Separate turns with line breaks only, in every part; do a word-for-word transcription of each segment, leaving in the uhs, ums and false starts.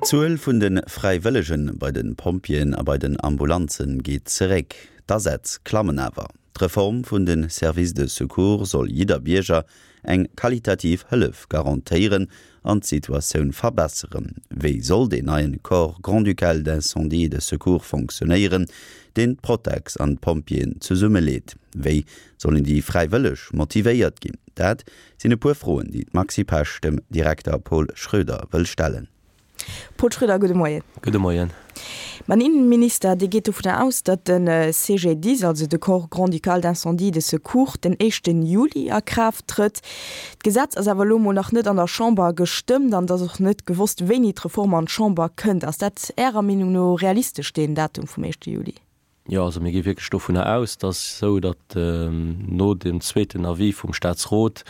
D'Zuel vun de Fräiwëllege bei de Pompjeeën a bei den Ambulanze geet zeréck, d'Asätz klammen awer. D'Reform vun de Services de secours soll jidder Bierger eng qualitativ Hëllef garantéieren an d'Situatioun verbesseren. Wéi soll deen neien Corps grand-ducal d'incendie et de secours fonctionnéieren, deen d'Protex an d'Pompjeeën zesummeleet? Wéi sollen déi Fräiwëlleg motivéiert ginn? Dat sinn e puer Froen, déi d'Maxi Pesch dem Direkter Paul Schroeder wëll stellen.
Paul Schroeder, gudde Moien.
Gudde Moien.
Ma den Innenminister, dee geet dovunner aus, datt de C G D I S, also de Corps grand-ducal d'incendie et de secours, den éischten Juli a Kraaft trëtt. D'Gesetz ass awer elo mol nach net an der Chamber gestëmmt an et ass och net gewosst, wéini d'Reform an d'Chamber kënnt. Ass dat Ärer Meenung no realistesch, deen Datum vum éischte Juli?
Jo, also mir gi wierklech dovunner aus, dass esou, datt no dem zweeten Avis vum Statsrot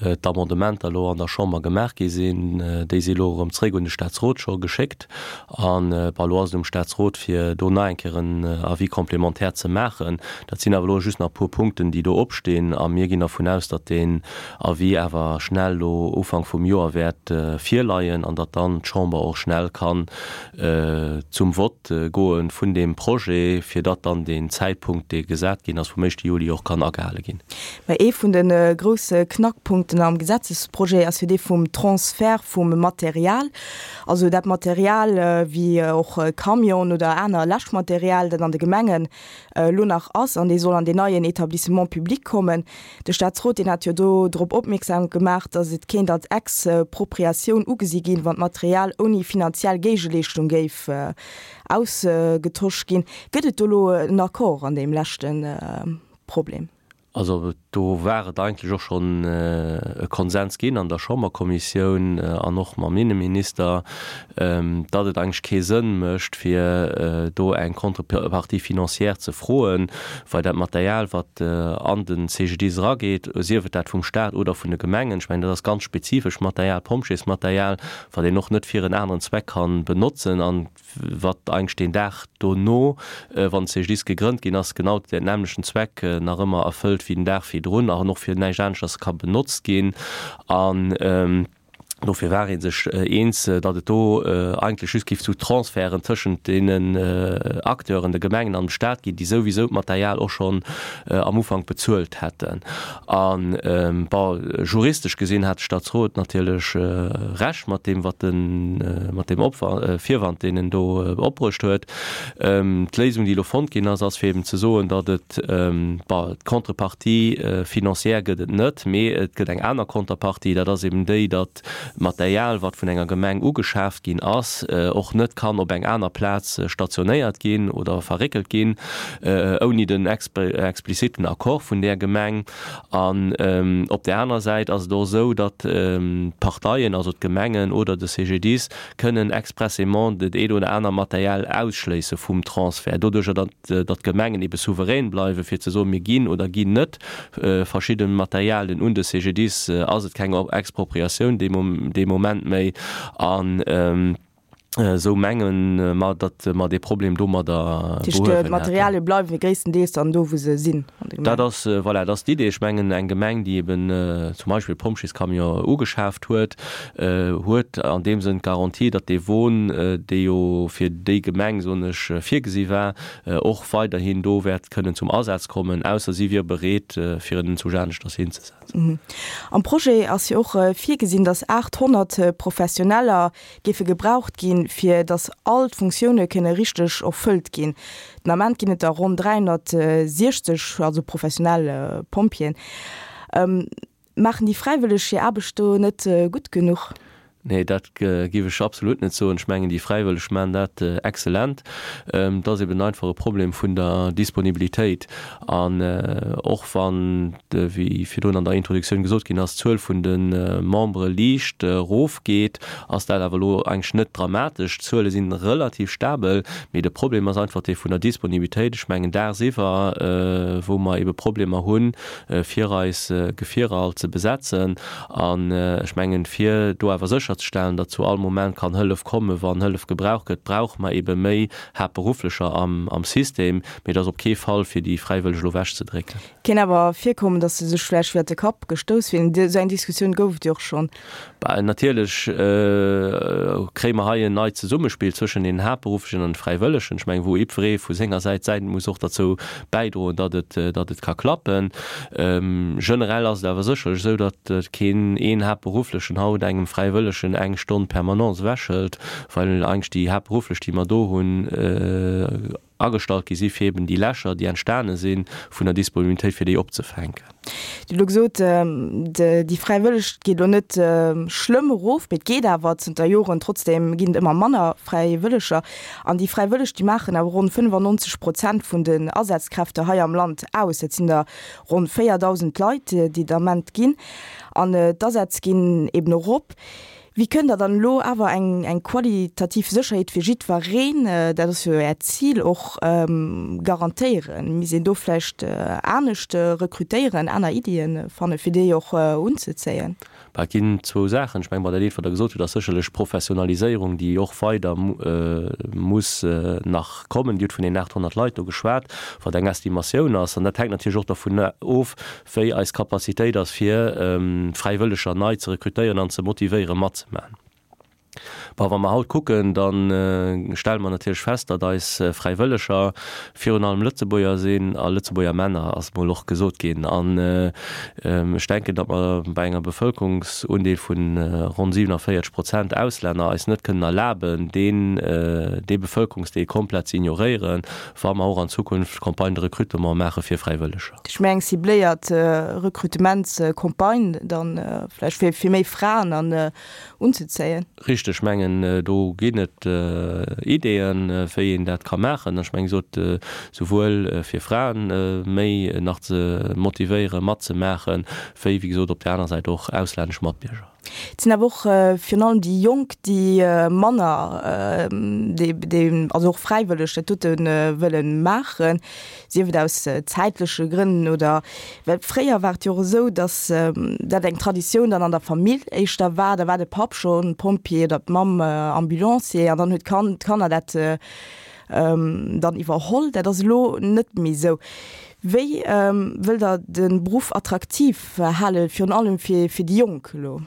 d'Amendementer elo an der Chamber gemaach gi sinn. Déi si elo erëm zréck un de Statsrot scho geschéckt. An bon, elo ass et um Statsrot, fir do nach eng Kéier en Avis complémentaire ze maachen. Dat sinn awer elo just nach e puer Punkten, déi do opstinn. A mir ginn dervun aus, datt deen Avis awer schnell elo Ufank vum Joer wäert virleien an datt dann d'Chamber och schnell kann zum Vott goe vun deem Projet, fir datt dann deen Zäitpunkt, dee gesat ginn ass vum éischte Juli, och kann agehale ginn.
Mä ee vun de grousse Knackpunkten am Gesetzesprojet ass jo dee vum Transfert vum Material, also dat Material wéi och Camionen oder aner Läschmaterial, dat an de Gemengen elo nach ass an dee soll an deen neien Établissement public kommen. De Staatsrot, deen hat jo do drop opmierksam gemaach, datt et kéint als Expropriatioun ugesi ginn, wann d'Material ouni finanziell Géigeleeschtung géif ausgetosch ginn. Gëtt et do elo en Accord an deem leschte Problem?
Also do war et eigentlech och schonn e Konsens ginn an der Chamberkommissioun an och mam Inneminister, datt et eigentlech kee Sënn mécht, fir do eng Contrepartie financière ze froen, well dat Material, wat an de C G D I S erageet, sief et dat vum Stat oder vun de Gemengen, ech mengen, dat ass ganz spezifesch Material, Pompjeesmaterial, wat een och net fir en aneren Zweck kann benotzen an wat eigentlech deen Dag dono, wann de C G D I S gegrënnt ginn ass, genau deen nämmlechten Zweck nach ëmmer erfëllt wéi den Dag virdrun an och fir näischt aneschters ka benotzt ginn. An dofir war ee sech eens, datt et do eigentlech just géif zu Transferten tëschent deenen Acteuren, de Gemengen an dem Stat ginn, déi souwisou d'Material och schonn am Ufank bezuelt hätten. An, bon, juristesch gesinn hat de Statsrot natierlech Recht mat deem, wat en, mat deem Opwa Virwand, deen en do opbruecht huet. D'Léisung, déi elo fonnt ginn ass, ass fir eben ze soen, datt et, bon, d'Contrepartie financière gëtt et net, mee et gëtt eng aner Contrepartie, dat ass eben déi, datt Material, wat vun enger Gemeng ugeschaaft ginn ass, och net kann op eng aner Plaz stationéiert ginn oder verréckelt ginn, ouni den expliziten Accord vun där Gemeng. An op där aner Säit ass et och esou, datt d'Parteien, also d'Gemengen oder de C G D I S, kënnen expressément dat eent oder aner Material ausschléisse vum Transfert, doduerjer datt d'Gemengen ebe souverän bleiwen, fir ze soen, mir ginn oder ginn net verschidde Materialien un de C G D I S, ass et keng Expropriatioun dee Moment méi. An esou menge mer, datt mer dee Problem domadder
Dat heescht,
behuewen hätten.
D'Materialie bleiwe gréisstendeels dann do, wou se sinn an de
Dat
Gemengen?
ass, voilà, dat ass d'Idee. Ech mengen, eng Gemeng, déi eben zum Beispill e Pompjeescamion ugeschaaft huet, huet an deem Sënn d'Garantie, datt dee Won, dee jo fir déi Gemeng, soen ech, virgesi war, och weiderhin do wäert kënnen zum Asaz kommen, ausser si wier bereet, fir en zu aneschters hinzesetzen.
Am Projet ass jo och virgesinn, datt aathonnert Professioneller géife gebraucht ginn, fir datt all d'Funktioune kënne richteg erfëllt ginn. Den Ament ginn et der ronn dräihonnertsiechzeg, also professionell Pompjeeën. Maachen déi Fräiwëlleg hir Aarbecht do net gutt genuch?
Nee, dat géif ech absolut net soen. Ech mengen, déi Fräiwëlleg maachen dat exzellent. Et ass eben einfach e Problem vun der Disponibilitéit. An och wann, wéi virdrun an der Introduktioun gesot ginn ass, d'Zuel vun de Membere liicht erofgeet, ass dat awer elo eigentlech net dramatesch. D'Zuele si relativ stabel, mee de Problem ass einfach dee vun der Disponibilitéit. Ech mengen dagsiwwer, wou mer ebe Problemer hunn, fir eis Gefierer all ze besetzen. An ech mengen, fir do awer sécher sécherzestellen, datt zu all Moment kann Hëllef kommen, wann Hëllef gebraucht gëtt, brauche mer eebe méi Haaptberufflecher am System. Mee et ass op kee Fall fir déi Fräiwëlleg elo ewechzedrécken.
Kéint awer virkommen, datt se sech vläicht iwwer de Kapp gestouss fillen. Esou eng Diskussioun gouf et jo och schonn.
Bah, natierlech kréie mer hei en neit Zesummespill zwëschen den Haaptberufflechen an de Fräiwëllegen. Ech mengen, wou jiddweree vu senger Säit säin muss och derzou bäidroen, datt et, datt et ka klappen. Generell ass et awer sécherlech esou, datt keen een Haaptberufflechen haut engem Fräiwëllegen eng Stonn Permanence ewechhëlt, well eigentlech déi Haaptberufflech, déi mer do hunn, agestallt gi si fir eben déi Lächer, déi entstane si vun der Disponibilitéit, fir déi opzefänken.
Dir hutt elo gesot, déi Fräiwëlleg geet elo net schlëmm erof, mee et geet awer zënter Joren, trotzdeem ginn et ëmmer manner Fräiwëlleger. An déi Fräiwëlleg, déi maachen awer ronn fënnefannonzeg Prozent vun den Asazkräfte hei am Land aus. Dat sinn der ronn véierdausend Leit, déi et am Ament ginn. An d'Asätz ginn eben erop. Wéi kënnt Der dann elo awer eng eng qualitativ Sécherheet fir jiddwereen, dat ass jo Äert Zil och, garantéieren? Misst een do vläicht anescht rekrutéieren, aner Iddien fannen, fir déi och unzezéien?
Bah, et ginn zwou Saachen. Ech mengen, bei dat eent, wat Der gesot hutt, ass sécherlech d'Professionaliséierung, déi och weider muss nach kommen. Dir hutt vun deenen aathonnert Leit do geschwat, wat eng Estimatioun ass. An dat hänkt natierlech och dervun of, wéi eis Capacitéit ass, fir Fräiwëlleger nei ze rekrutéieren an ze motivéieren, matzemaachen. Bon, wa mer haut kucken, da stelle mer natierlech fest, datt eis Fräiwëlleger virun allem Lëtzebuerger sinn a Lëtzebuerger Männer, ass emol och gesot ginn. An ech denken, datt mer bei enger Bevëlkerungsundeel vu ronn siewenundvierzeg Prozent Auslänner eis net kënnen erlaben, deen, dee Bevëlkerungsdeel komplett ze ignoréieren, wa mer och an Zukunft Campagne de recrutement maache fir Fräiwëlleger.
Ech mengen, eng cibléiert Rekrutementscampagne dann vläicht fir, fir méi Fraen an unzezéien.
Richteg, ech mengen, do ginn et Ideeën, wéi een dat ka maachen. Ech mengen, wéi gesot, souwuel fir Fraen méi nach ze motivéieren, matzemaachen, wéi, wéi gesot, op där aner Säit och auslännesch Matbierger.
Et sinn awer och virun allem déi Jonk, déi manner, déi also och fräiwëlleg dat dote wëlle maachen, sief et aus zäitleche Grënn oder well fréier war et jo och esou, datt dat eng Traditioun dann an der Famill éischter war, da war de Papp schonn Pompjee oder d'Mamm Ambulancier an dann huet d'Kan d'Kanner dat dann iwwerholl. Dat ass elo net méi esou. Wéi wëllt Der de Beruff attraktiv halen, virun allem fir déi Jonk elo?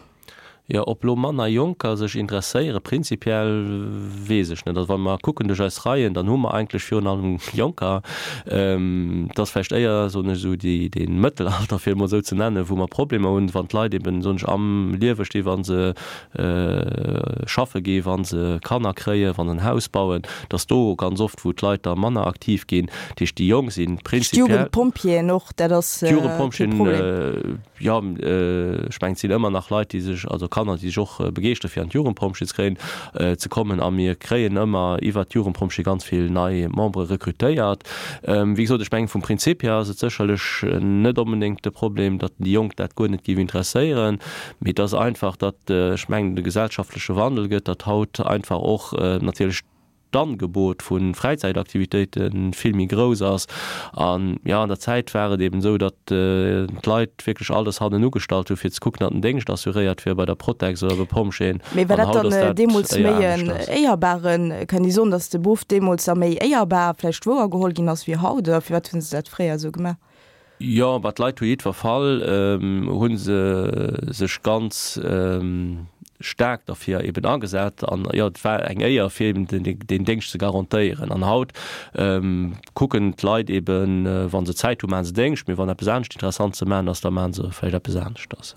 Jo, ob elo manner Jonker sech interesséieren, prinzipiell weess ech net. Also wa mer kucken duerch eis Reien, dann hu mer eigentlech virun allem Jonker. Et ass vläicht éier, soen ech esou, déi, dee Mëttelalter, fir et emol esou ze nennen, wou mer Problemer hunn, wann d'Leit eben, soen ech, am Liewe sti wa se schaffe ginn, wa se Kanner kréien, wa se en Haus bauen, dass do ganz oft, wou d'Leit da manner aktiv ginn. Dat heescht, déi Jonk si prinzipiell.
D'Jugendpompjeeën och, dat ass kee
Problem. Jo, ech mengen, et sinn ëmmer nach Leit, déi sech, also Kanner, déi sech och begeeschtere fir an d'Jugendpompjee ze kréien, ze kommen. A mir kréien ëmmer iwwert d'Jugendpompjee ganz vill nei Membere rekrutéiert. Wéi gesot, ech mengen, vum Prinzip hier ass et sécherlech net onbedéngt de Problem, datt déi Jonk dat guer net géif interesséieren, mee et ass einfach, datt, ech mengen, de gesellschaftleche Wandel gëtt, datt haut einfach och natierlech d'Angebot vu Fräizäitaktivitéite vill méi grouss ass. An jo, an der Zäit war et eben esou, datt d'Leit wierklech alles hannen ugestallt hu fir ze kucken, datt den Déngscht assuréiert wier bei der Protex oder bei Pompjeeën.
Mee war
An
dat
haut ass
dann
dat
deemools
éier
méi en
aneschters.
éierbaren, kann ee soen, datt de Beruff deemools da méi éierbar vläicht wouergeholl ginn ass wéi haut, oder firwat hu se dat fréier esou gemaach?
Jo, bah d'Leit hu jiddwer Fall hu se sech ganz staark derfir eben agesat an jo, et war eng Éier fir eben deen Déngscht ze garantéieren. An haut kucken d'Leit eben, wa se Zäit hu maache se Déngscht, mee wann eppes anescht interessant ze maachen ass, da maache se vläicht eppes aneschters.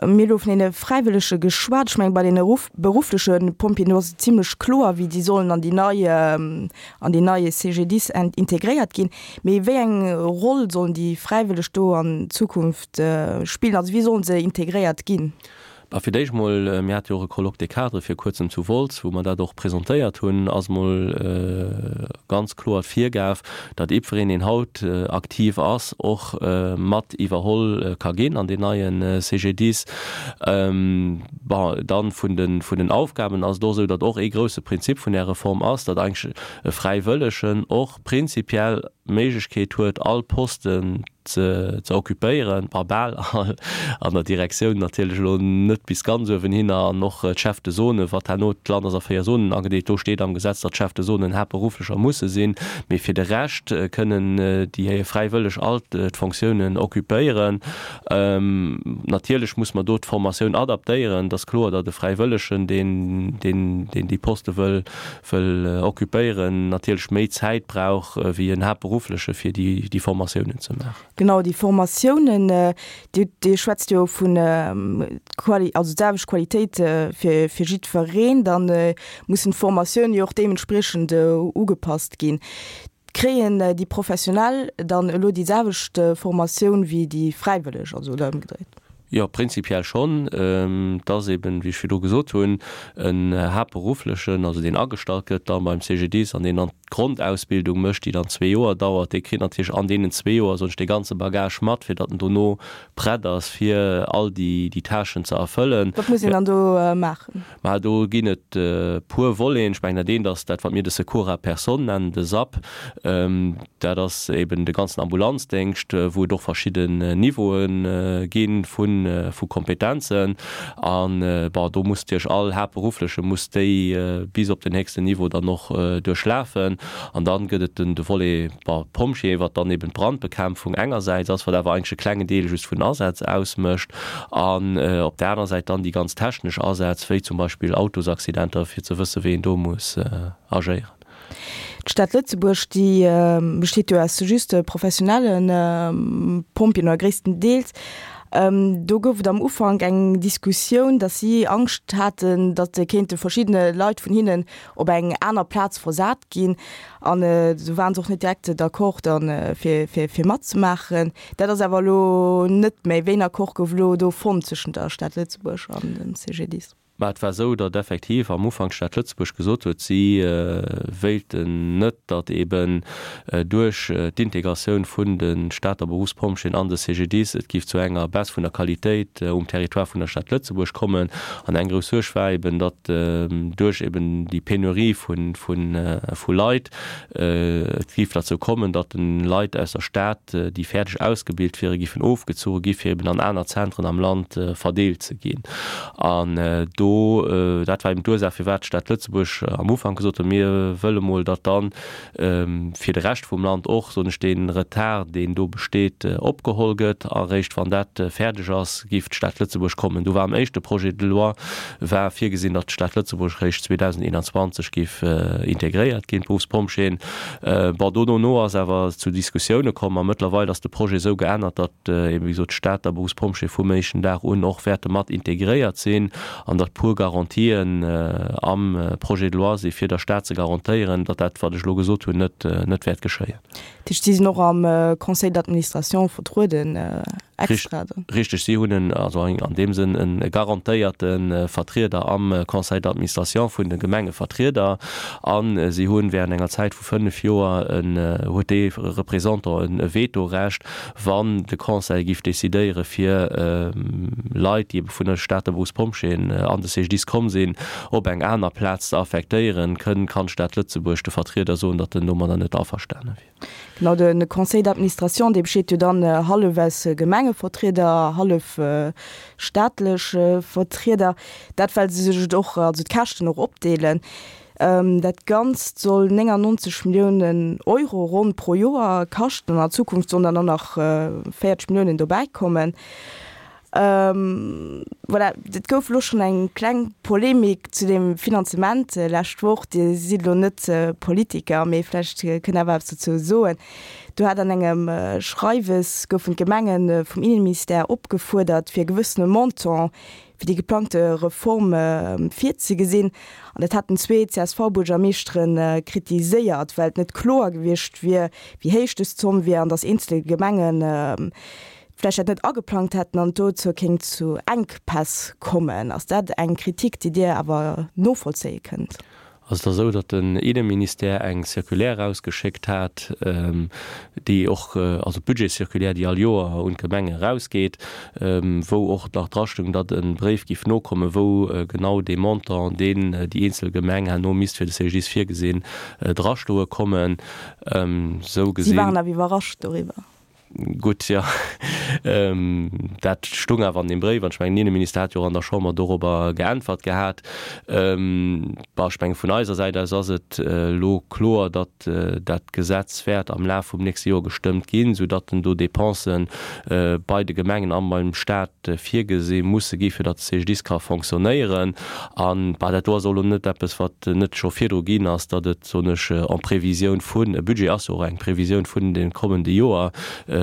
Mir hu lo vun deene Fräiwëllege geschwat. Ech mengen, bei deene beruffleche Pompjeeën, do ass et zimlech kloer, wéi déi sollen an déi nei, an deen neie C G D I S integréiert ginn. Mee wéi eng Roll sollen déi Fräiwëlleg do an Zukunft spillen? Also wéi sollen se integréiert ginn?
Bah, fir d'éischt mol, mir hate jo och e Colloque des cadres vir kuerzem zu Wolz, wou mer dat och presentéiert hunn, ass mol ganz kloer d'Virgab, datt jiddwereen, deen haut aktiv ass, och mat iwwerholl ka ginn an deen neie C G D I S. Bon, dann vun de vun den Aufgaben ass et och esou, datt och ee grouse Prinzip vun där Reform ass, datt eigentlech e Fräiwëllegen och prinzipiell d'Méiglechkeet huet, all Posten ze ze occupéieren, bah bal all, an der Direktioun natierlech elo net bis ganz uewenhinner, an och d'Chefs de zone, wat herno, d'Land ass a véier Zonen agedeelt, do steet am Gesetz, datt d'Chefs de zonen haaptberufflecher musse sinn, mee fir de Rescht kënnen déi Fräiwëlleg all d'Fonctiounen occupéieren. Natierlech muss mer do d'Formatioun adaptéieren. Et ass kloer, datt e Fräiwëllegen, deen deen deen déi Poste wëll wëll occupéieren, natierlech méi Zäit brauch wéi en Haaptberuffleche fir déi déi Formatiounen ze maachen.
Genau, déi Formatiounen, Dir Dir schwätzt jo vun Quali, also d'selwecht Qualitéit fir fir jiddwereen, da mussen d'Formatiounen jo och deementspriechend ugepasst ginn. Kréien déi Professionell dann elo déi selwecht Formatioun wéi déi Fräiwëlleg, also oder ëmgedréit?
Jo, prinzipiell schonn. Et ass eben, wéi ech virdru gesot hunn, en Haaptberufflechen, also deen agestallt gëtt da beim C G D I S an deen dann d'Grondausbildung mécht, déi dann zwee Joer dauert, dee kritt natierlech an deenen zwee Joer, soen ech, dee ganze Bagage mat, fir datt en dono prett ass, fir all déi Tâchen ze erfëllen.
Wat muss een dann do maachen?
Mä do ginn et e puer Voleten. Ech mengen, dat eent ass dat, wat mir de Secours à personne nennen, de S A P. Dat ass eben de ganzen Ambulanzdéngscht, wou et och verschidden Niveaue gi vu Kompetenzen. An, bon, do muss natierlech all Haaptberuffleche muss déi bis op den héchsten Niveau dann och duerchlafen. An dann gëtt et den de Volet, bon, Pompjee, wat dann eben d'Brandbekämpfung engersäits ass, wat awer eigentlech e klengen Deel just vun den Asätz ausmécht, an op där anerer Säit dann déi ganz technesch Asätz, wéi zum Beispill Autosaccidenter, fir ze wësse wéi een do muss agéieren.
D'Stad Lëtzebuerg, déi besteet jo aus just professionelle Pompjeeën, oder gréisstendeels. Do gouf et am Ufank eng Diskussioun, datt si Angscht haten, datt kéinte verschiddene Leit vun hinnen op eng aner Plaz versat ginn. An do waren se och net direkt d'accord dann fir fir fir matzemaachen. Dat ass awer elo net méi. Wéi en Accord gouf elo do fonnt zwëschent der Stad Lëtzebuerg an dem C G D I S?
Mä et war esou, datt effektiv am Ufank d'Stad Lëtzebuerg gesot huet, si wéilten net, datt eben duerch d'Integratioun vun de Stater Beruffspompjeeën an de C G D I S et géif zu enger Baisse vun der Qualitéit um Territoire vun der Stad Lëtzebuerg kommen. An eng grouss Suerg war eben, datt duerch eben déi Penurie vu Leit et géif derzou kommen, datt de Leit aus der Stad, déi fäerdeg ausgebilt wieren, géifen ofgezuche gi fir eben an aner Zentren am Land verdeelt ze ginn. An do, dat war eben d'Ursaach, firwat d'Stad Lëtzebuerg am Ufank gesot huet, mir wëlle mol, datt dann fir de Rescht vum Land och, soen ech, dee Retard, deen do besteet, opgeholl gëtt. A réischt wann dat fäerdeg ass, géif d'Stad Lëtzebuerg kommen. Do war am éischte Projet de loi war virgesinn, datt d'Stad Lëtzebuerg réischt zweedausendeenanzwanzeg géif integréiert ginn, d'Beruffspompjeeën. Bon, do dono ass awer zu Diskussioune komm a mëttlerweil ass de Projet esou geännert, datt eben, wéi gesot, d'Stater Beruffspompjeeë vum éischten Dag un och wäerte mat integréiert sinn an datt puer Garantien am Projet de loi si fir der Stad ze garantéieren, datt dat, wat ech elo gesot hunn, net net wäert geschéien.
Dat heescht, si sinn och am Conseil d'administration vertrueden extra dann?
Richteg, si hunn en, also an deem Sënn e garantéierte Vertrieder am Conseil d'administration vun de Gemengevertrieder a si hunn während enger Zäit vu fënnef Joer en, huet dee Représentant e Vetorecht, wann de Conseil géif decidéiere fir Leit, déi ebe vun der Stater Berufspompjeeën an de C G D I S komm sinn, op eng aner Plaz ze affektéieren, kënn, kann d'Stad Lëtzebuerg de Vertrieder soen, datt en domadder net averstane wier.
Genau, de Conseil d'administration, dee besteet jo dann hallef aus Gemengevertrieder, hallef staatlech Vertrieder, dat well se sech et och, also d'Käschten och opdeelen. Dat Ganzt soll néngannonzeg Milliounen Euro ronn pro Joer kaschten an an Zukunft sollen dann och nach véierzeg Milliounen dobäi kommen. Voilà, et gouf elo schonn eng kleng Polemik zu deem Finanzement lescht Woch. Dir sidd elo net Politiker, mee vläicht kënnt Der awer eppes dozou soen. Do hat an engem Schreiwes goufen d'Gemenge vum Inneministère opgefuerdert, fir e gewëssene Montant fir déi geplangte Reform virzegesinn. An dat haten zwee C S V-Buergermeeschtere kritiséiert, well et net kloer gewiescht wier, wéi héich dës Zomm wier an datt eenzel Gemengen vläicht dat net ageplangt hätten an et dozou kéint zu Enkpäss kommen. Ass dat eng Kritik, déi Dir awer novollzéie kënnt?
Also et ass esou, datt den Inneministère eng Circulaire erausgeschéckt hat, déi och, also d'Budgetscirculaire, déi all Joer un d'Gemenge erausgeet, wou och nach drastoung, datt e Bréif géif nokommen, wou genau dee Montant, deen déi eenzel Gemeng herno misst fir de C G D I S virgesinn, drastoe kommen. Esou
Si
gesinn.
waren awer iwwerrascht doriwwer.
Gutt, jo, dat stung awer an deem Bréif, an ech mengen, den Inneminister hat jo och an der Chamber dorobber geäntwert gehat. Bon, ech mengen, vun eiser Säit aus ass et elo kloer, datt dat Gesetz wäert am Laf vum nächste Joer gestëmmt ginn, soudatt do Dépensen bei de Gemengen a beim Stat virgesi musse gi fir datt de C G D I S ka fonctionnéieren. An, bah, dat do ass och elo net eppes, wat net scho virdru ginn ass, datt et, soen ech, en Prévisioun vun, e Budget ass jo och eng Prévisioun vun de kommende Joer,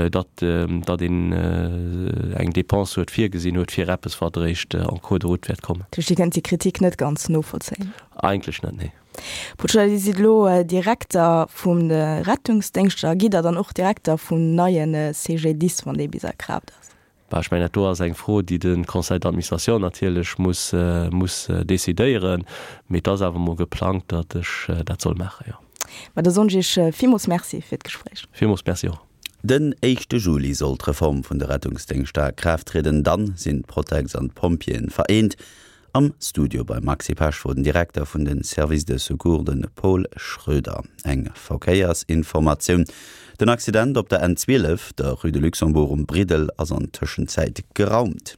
datt datt een eng Dépense huet virgesinn huet fir eppes, wat eréischt en cours de route wäert kommen.
Dat heescht, Dir kënnt déi Kritik net ganz novollzéien?
Eigentlech net, nee.
Paul Schroeder, Dir sidd elo Direkter vum de Rettungsdéngschter. Gitt Der dann och Direkter vum neie C G D I S, wann dee bis a Kraaft ass?
Bah, ech mengen, dat do ass eng Fro, déi de Conseil d'administration natierlech muss muss decidéieren. Mee et ass awer emol geplangt, datt ech dat soll maachen, jo.
Ma da soen ech Iech villmools Merci fir d'Gespréich.
Villmools Merci och.
Den éischte Juli soll d'Reform vun de Rettungsdéngschter a Kraaft trieden. Dann sinn d'Protex an d'Pompjeeën vereent. Am Studio beim Maxi Pesch wor den Direkter vun de Services de Secours, de Paul Schroeder. Eng Verkéiersinformatioun, Den Accident op der N zwielef, der Rue de Luxembourg um Briddel ass an Tëschenzäit geraumt.